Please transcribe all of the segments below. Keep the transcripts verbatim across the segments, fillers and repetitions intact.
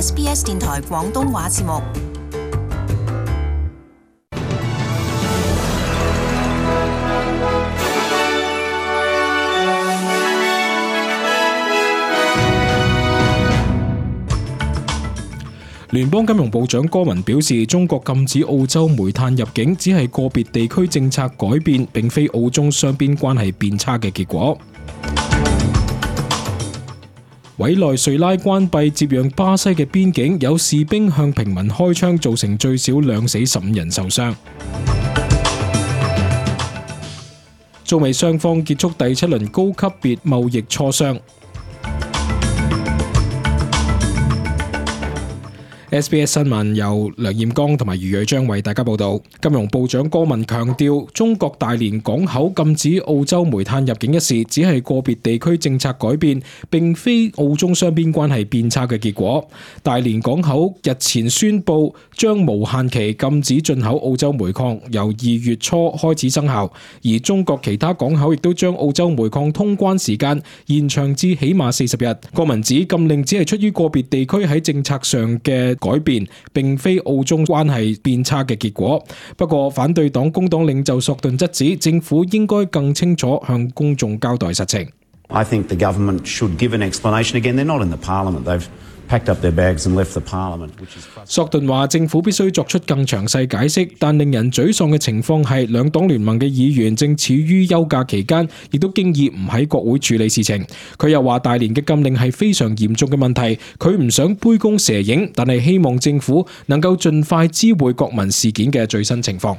S B S 電台廣東話節目。聯邦金融部長戈文表示，中國禁止澳洲煤炭入境只係個別地區政策改變，並非澳中雙邊關係變差嘅結果。委內瑞拉關閉接壤巴西嘅邊境，有士兵向平民開槍，造成最少兩死十五人受傷。中美雙方結束第七輪高級別貿易磋商。S B S 新聞由梁彥剛同埋余蕊章為大家報道。金融部長戈文強調，中國大連港口禁止澳洲煤炭入境一事，只係個別地區政策改變，並非澳中雙邊關係變差嘅結果。大連港口日前宣布將無限期禁止進口澳洲煤礦，由二月初開始生效。而中國其他港口亦都將澳洲煤礦通關時間延長至起碼四十日。戈文指禁令只係出於個別地區喺政策上嘅改變，並非澳中關係變差嘅結果。不過，反對黨工黨領袖索頓質指，政府應該更清楚向公眾交代實情。I think the government should give an explanation. Again, they're not in the parliament. They've packed up their bags and left the parliament. 索頓話，政府必須作出更詳細解釋，但令人沮喪嘅情況係，兩黨聯盟嘅議員正處於休假期間，亦都經已唔喺國會處理事情。佢又話，大連嘅禁令係非常嚴重嘅問題，佢唔想杯弓蛇影，但係希望政府能夠盡快知會國民事件嘅最新情況。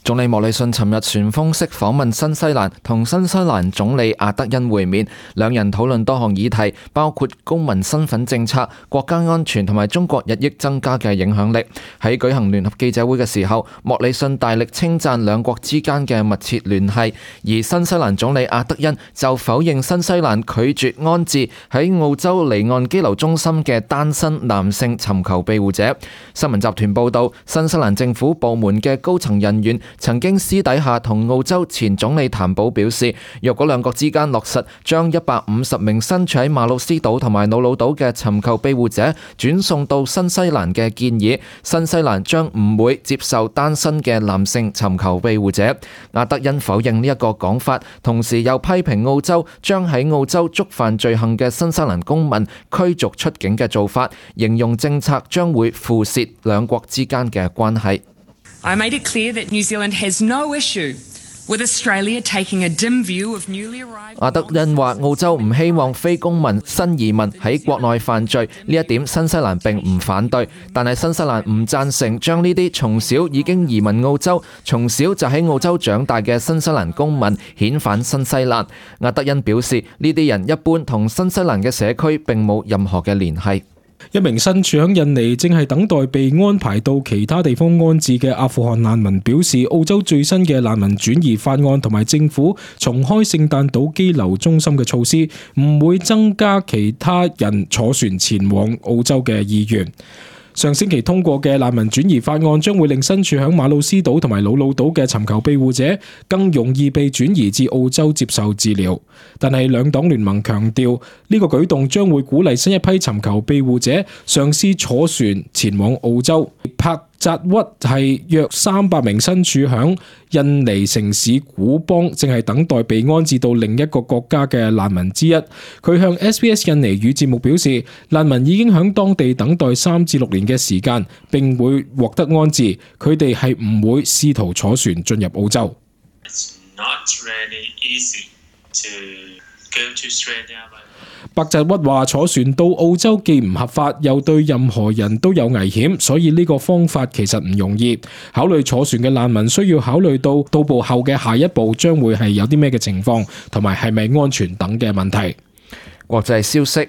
總理莫里遜尋日旋風式訪問新西蘭，同新西蘭總理阿德恩會面，兩人討論多項議題，包括公民身份政策、國家安全同埋中國日益增加嘅影響力。喺舉行聯合記者會嘅時候，莫里遜大力稱讚兩國之間嘅密切聯繫，而新西蘭總理阿德恩就否認新西蘭拒絕安置喺澳洲離岸羈留中心嘅單身男性尋求庇護者。新聞集團報道，新西蘭政府部門嘅高層人員曾經私底下同澳洲前總理譚寶表示，若果兩國之間落實將一百五十名身處喺馬魯斯島同埋瑙魯島嘅尋求庇護者轉送到新西蘭嘅建議，新西蘭將唔會接受單身嘅男性尋求庇護者。阿德恩否認呢一個講法，同時又批評澳洲將喺澳洲觸犯罪行嘅新西蘭公民驅逐出境嘅做法，形容政策將會腐蝕兩國之間嘅關係。I made it clear that New Zealand has no issue with Australia taking a dim view of newly arrived. 阿德恩話：澳洲唔希望非公民新移民喺國內犯罪，呢一點新西蘭並唔反對，但係新西蘭唔贊成將呢啲從小已經移民澳洲、從小就喺澳洲長大嘅新西蘭公民遣返新西蘭。阿德恩表示，呢啲人一般同新西蘭嘅社區並冇任何嘅聯繫。一名身處喺印尼正係等待被安排到其他地方安置嘅阿富汗難民表示，澳洲最新嘅難民轉移法案同埋政府重開聖誕島羈留中心嘅措施，唔會增加其他人坐船前往澳洲嘅意願。上星期通過嘅難民轉移法案將會令身處響馬魯斯島同埋瑙魯島嘅尋求庇護者更容易被轉移至澳洲接受治療，但係兩黨聯盟強調呢個舉動將會鼓勵新一批尋求庇護者嘗試坐船前往澳洲。帕扎屈係約三百名身處響印尼城市古邦，正係等待被安置到另一個國家嘅難民之一。佢向 S B S 印尼語節目表示，難民已經響當地等待三至六年嘅時間，並會獲得安置。佢哋係唔會試圖坐船進入澳洲。白澤屈話：坐船到澳洲既唔合法，又對任何人都有危險，所以呢個方法其實唔容易。考慮坐船嘅難民需要考慮到到埗後嘅下一步將會係有啲咩嘅情況，同埋係咪安全等嘅問題。國際消息。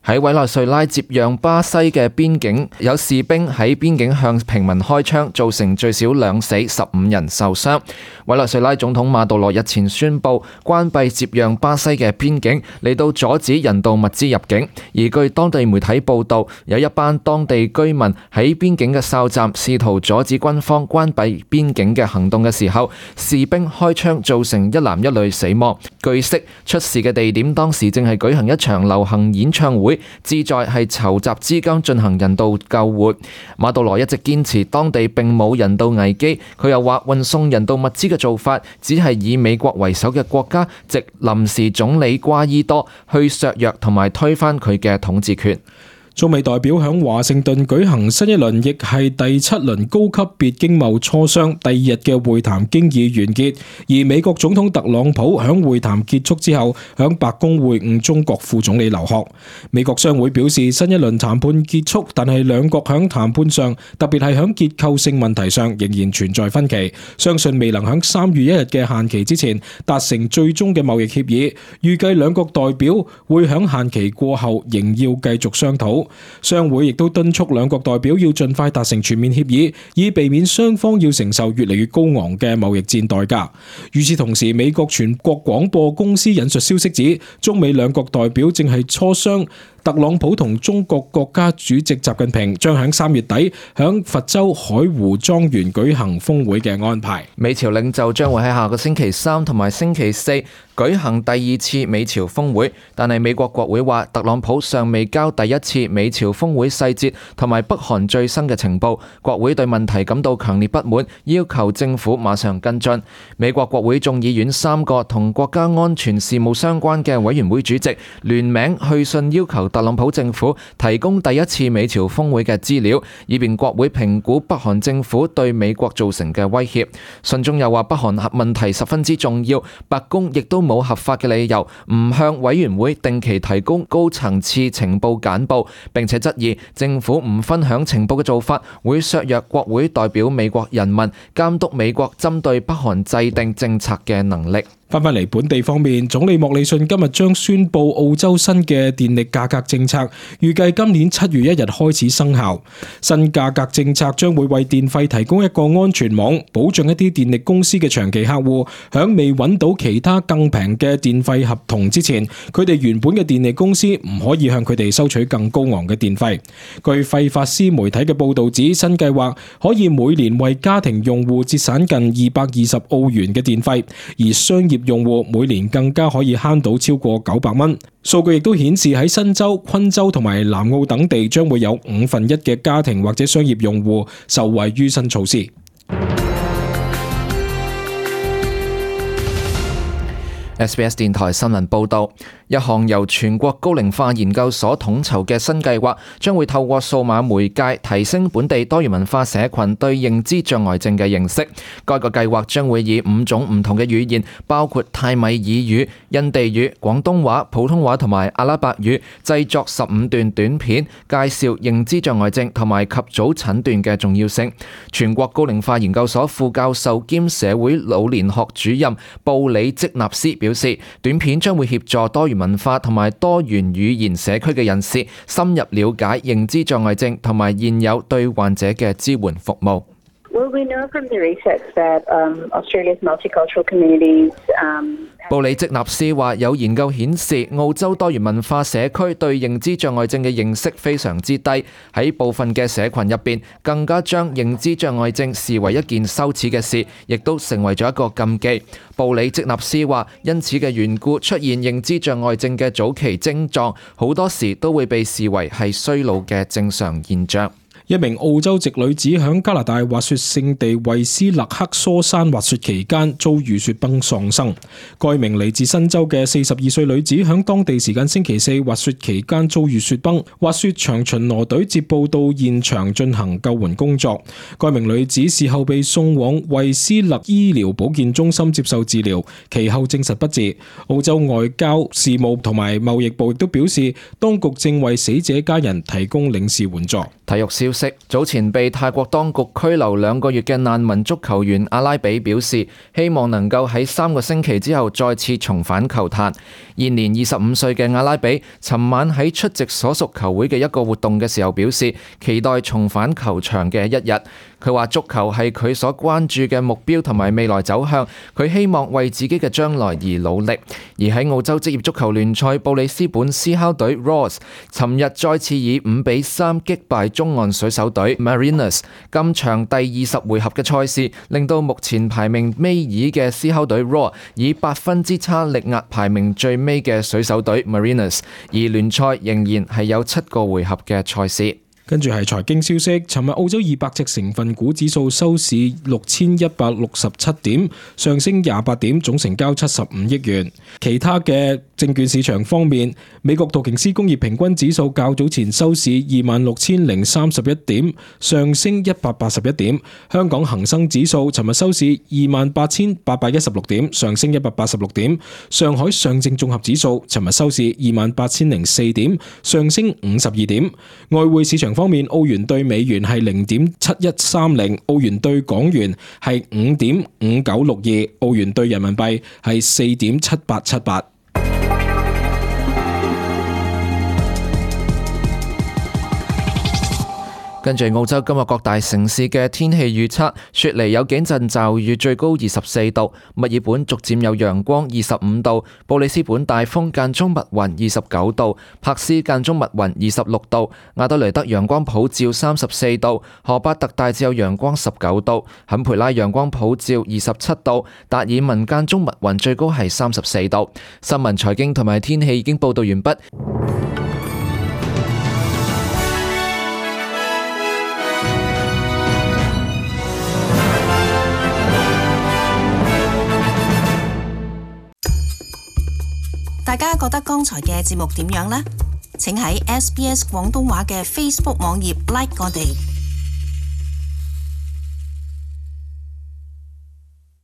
喺委內瑞拉接壤巴西嘅邊境，有士兵喺邊境向平民開槍，造成最少兩死十五人受傷。委內瑞拉總統馬杜羅日前宣布關閉接壤巴西嘅邊境，嚟到阻止人道物資入境。而據當地媒體報道，有一班當地居民喺邊境嘅哨站試圖阻止軍方關閉邊境嘅行動嘅時候，士兵開槍，造成一男一女死亡。據悉，出事嘅地點當時正係舉行一場流行演唱會。會，旨在係籌集資金進行人道救援。馬杜羅一直堅持當地並冇人道危機，佢又話運送人道物資嘅做法只係以美國為首嘅國家藉臨時總理瓜伊多去削弱同埋推翻佢嘅統治權。中美代表響華盛頓舉行新一輪，亦係第七輪高級別經貿磋商，第二日嘅會談經已完結。而美國總統特朗普響會談結束之後，響白宮會晤中國副總理劉鶴。美國商會表示，新一輪談判結束，但係兩國響談判上，特別係響結構性問題上，仍然存在分歧。相信未能響三月一日嘅限期之前達成最終嘅貿易協議。預計兩國代表會響限期過後仍要繼續商討。商會亦都敦促兩國代表要盡快達成全面協議，以避免雙方要承受越嚟越高昂嘅貿易戰代價。與此同時，美國全國廣播公司引述消息指，中美兩國代表正係磋商特朗普同中國國家主席習近平將喺三月底響佛州海湖莊園舉行峰會嘅安排。美朝領袖將會喺下個星期三同埋星期四舉行第二次美朝峰會，但係美國國會話特朗普尚未交第一次美朝峰會細節同埋北韓最新嘅情報，國會對問題感到強烈不滿，要求政府馬上跟進。美國國會眾議院三個同國家安全事務相關嘅委員會主席聯名去信要求特朗普政府提供第一次美朝峰會嘅資料，以便國會評估北韓政府對美國造成嘅威脅。信中又話北韓核問題十分之重要，白宮亦都冇合法嘅理由唔向委員會定期提供高層次情報簡報，並且質疑政府唔分享情報嘅做法會削弱國會代表美國人民監督美國針對北韓制定政策嘅能力。翻返嚟本地方面，總理莫里遜今日將宣布澳洲新嘅電力價格政策，預計今年七月一日開始生效。新價格政策將會為電費提供一個安全網，保障一啲電力公司嘅長期客戶響未揾到其他更平嘅電費合同之前，佢哋原本嘅電力公司唔可以向佢哋收取更高昂嘅電費。據費法斯媒體嘅報導指，新計劃可以每年為家庭用戶節省近二百二十澳元嘅電費，而商業用戶每年更加可以慳到超過九百蚊。數據亦都顯示喺新州、昆州同埋南澳等地，將會有五分一嘅家庭或者商業用戶受惠於新措施。S B S 電台新聞報道，一項由全國高齡化研究所統籌嘅新計劃，將會透過數碼媒介提升本地多元文化社群對認知障礙症嘅認識。該個計劃將會以五種唔同嘅語言，包括泰米爾語、印地語、廣東話、普通話同埋阿拉伯語，製作十五段短片，介紹認知障礙症同埋及早診斷嘅重要性。全國高齡化研究所副教授兼社會老年學主任布里積納斯表示，短片將會協助多元文化同埋多元語言社區嘅人士深入了解認知障礙症同埋現有對患者嘅支援服務。Well, we know from the research that um, Australia's multicultural communities um, 布里積納斯話，有研究顯示澳洲多元文化社區對認知障礙症嘅認識非常之低，喺部分嘅社群入邊更加將認知障礙症視為一件羞恥嘅事，亦都成為咗一個禁忌。布里積納斯話，因此嘅緣故，出現認知障礙症嘅早期症狀好多時都會被視為係衰老嘅正常現象。一名澳洲籍女子響加拿大滑雪勝地惠斯勒克疏山滑雪期間遭遇雪崩喪生。該名嚟自新州嘅四十二歲女子響當地時間星期四滑雪期間遭遇雪崩，滑雪場巡邏隊接報到現場進行救援工作。該名女子事後被送往惠斯勒醫療保健中心接受治療，其後證實不治。澳洲外交事務同埋貿易部亦都表示，當局正為死者家人提供領事援助。體育消息，早前被泰國當局拘留兩個月嘅難民足球員阿拉比表示，希望能夠喺三個星期之後再次重返球壇。現年二十五歲嘅阿拉比，尋晚喺出席所屬球會嘅一個活動嘅時候表示，期待重返球場嘅一日。佢話足球係佢所關注嘅目標同埋未來走向，佢希望為自己嘅將來而努力。而喺澳洲職業足球聯賽，布里斯本獅吼隊 Roars 尋日再次以五比三擊敗中岸水手隊 Mariners。今場第二十回合嘅賽事，令到目前排名尾二嘅獅吼隊 Roar 以八分之差力壓排名最尾尾嘅水手隊 Mariners， 而聯賽仍然係有七個回合嘅賽事。跟住係財經消息，尋日澳洲二百隻成分股指數收市六千一百六十七點，上升廿八點，總成交七十五億元。其他嘅證券市場方面，美國道瓊斯工業平均指數較早前收市二萬六千零三十一點，上升一百八十一點。香港恒生指數尋日收市二萬八千八百一十六點，上升一百八十六點。上海上證綜合指數尋日收市二萬八千零四點，上升五十二點。外匯市場方面，澳元兌美元係零點七一三零，澳元兌港元係五點五九六二，澳元兌人民幣係四點七八七八。跟住澳洲今日各大城市嘅天氣預測，雪梨有幾陣驟雨，最高二十四度；墨爾本逐漸有陽光，二十五度；布里斯本大風間中密雲，二十九度；柏斯間中密雲，二十六度；亞德雷德陽光普照，三十四度；荷巴特大致有陽光，十九度；坎培拉陽光普照，二十七度；達爾文間中密雲，最高係三十四度。新聞、財經同埋天氣已經報道完畢。大家覺得剛才嘅節目點樣呢？請喺 S B S 廣東話嘅 Facebook 網頁 like 我哋。